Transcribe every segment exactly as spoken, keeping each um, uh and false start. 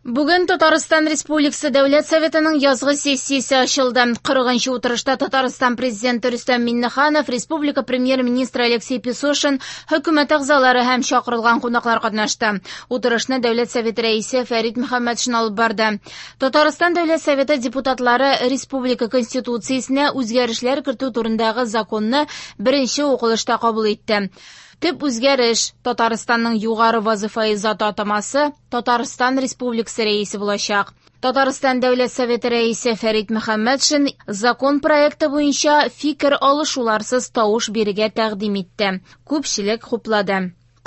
Бүген Татарстан Республикасы Дәүләт Советының язгы сессиясе ачылды. Кырыгынчы утырышта Татарстан Президенты Рөстәм Миңнеханов, Республика Премьер-министры Алексей Песошин, хөкүмәт әгъзалары һәм чакырылган кунаклар катнашты. Утырышны Дәүләт Советы рәисе Фәрит Мөхәммәтшин алып барды. Татарстан Дәүләт Советы депутатлары Республика Конституциясенә үзгәрешләр кертү турындагы законны беренче укылышта кабул итте. Төп үзгәреш – Татарстанның югары вазифаи заты атамасы Татарстан Республикасы рәисе булачак. Татарстан Дәүләт Советы рәисе Фәрит Мөхәммәтшин закон проекты буенча фикер алышуларсыз тавыш бирергә тәкъдим итте. Күпчелек хуплады.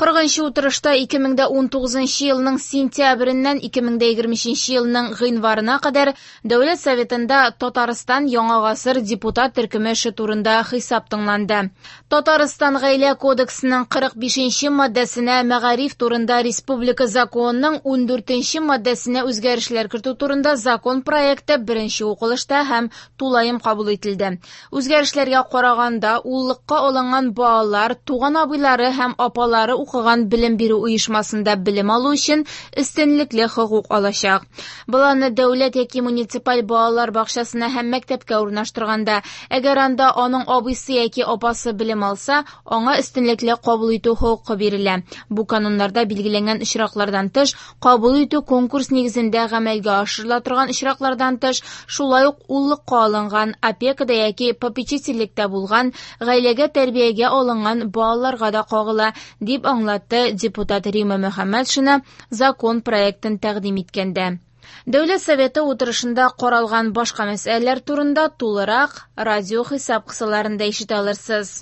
Кырыгынчы утырышта ике мең дә унтугызынчы елның сентябреннән ике мең дә егерме өченче елның гыйнварына кадәр Дәүләт Советында Татарстан Яңа гасыр депутат төркеме эше турында хисап тыңланды. Татарстан Гаилә кодексының кырык бишенче маддәсенә мәгариф турында Республика законының ундүртенче маддәсенә үзгәрешләр кертү турында закон проекты беренче укылышта һәм тулаем кабул ителде. Үзгәрешләргә караганда, уллыкка алынган балалар, туган абыйлары һәм апалары укыган белем бирү оешмасында белем алу өчен өстенлекле хокук алачак. Баланы дәүләт яки муниципаль балалар бакчасына һәм мәктәпкә урнаштырганда, әгәр анда аның абыйсы яки апасы белем алса, аңа өстенлекле кабул итү хокукы бирелә. Бу кануннарда билгеләнгән очраклардан тыш, кабул итү конкурс нигезендә гамәлгә ашырыла торган очраклардан тыш, шулай ук уллыкка алынган, опекада яки попечительлектә булган, гаиләгә тәрбиягә алынган балаларга да кагыла, дип аңлатты депутат Рима Мөхәммәтшина закон проектын тәкъдим иткәндә. Дәүләт Советы утырышында каралган башка мәсьәләләр турында тулырак радио хисап кысаларында ишетә алырсыз.